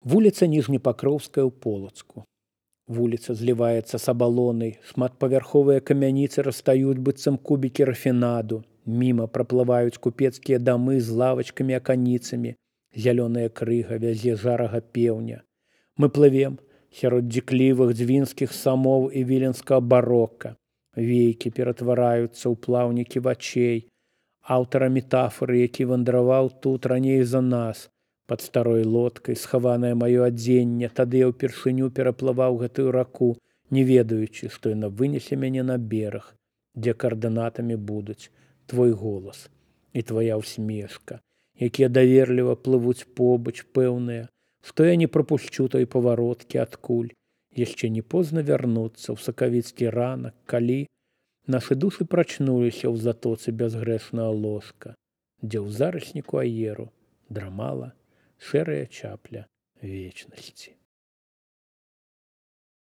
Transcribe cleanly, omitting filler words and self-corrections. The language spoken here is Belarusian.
Вуліца Ніжнепакроўская ў Полацку. Вуліца зліваецца з абалонай, шматпавярховыя камяніцы растаюць быццам кубікі рафінаду. Міма праплываюць купецкія дамы з лавачкамі-аканіцамі, зялёная крыга вязе жарага пеўня. Мы плывем сярод дзіклівых дзвінскіх самоў і віленскага барока. Вейкі ператвараюцца ў плаўнікі вачэй. Аўтара метафоры, які вандраваў тут раней за нас, пад старой лодкай, схаванае маё адзенне, тады я ўпершыню пераплываў гэтую раку, не ведаючы, што яна вынесе мяне на бераг, дзе каардынатамі будуць твой голас і твая ўсмешка, якія даверліва плывуць побач, пэўныя, што я не прапушчу той павароткі адкуль. Яшчэ не позна вярнуцца ў сакавіцкі ранак, калі нашы душы прачнуліся ў затоцы бязгрэшнага ложка, дзе ў зарасніку аеру драмала шэрая чапля вечнасці.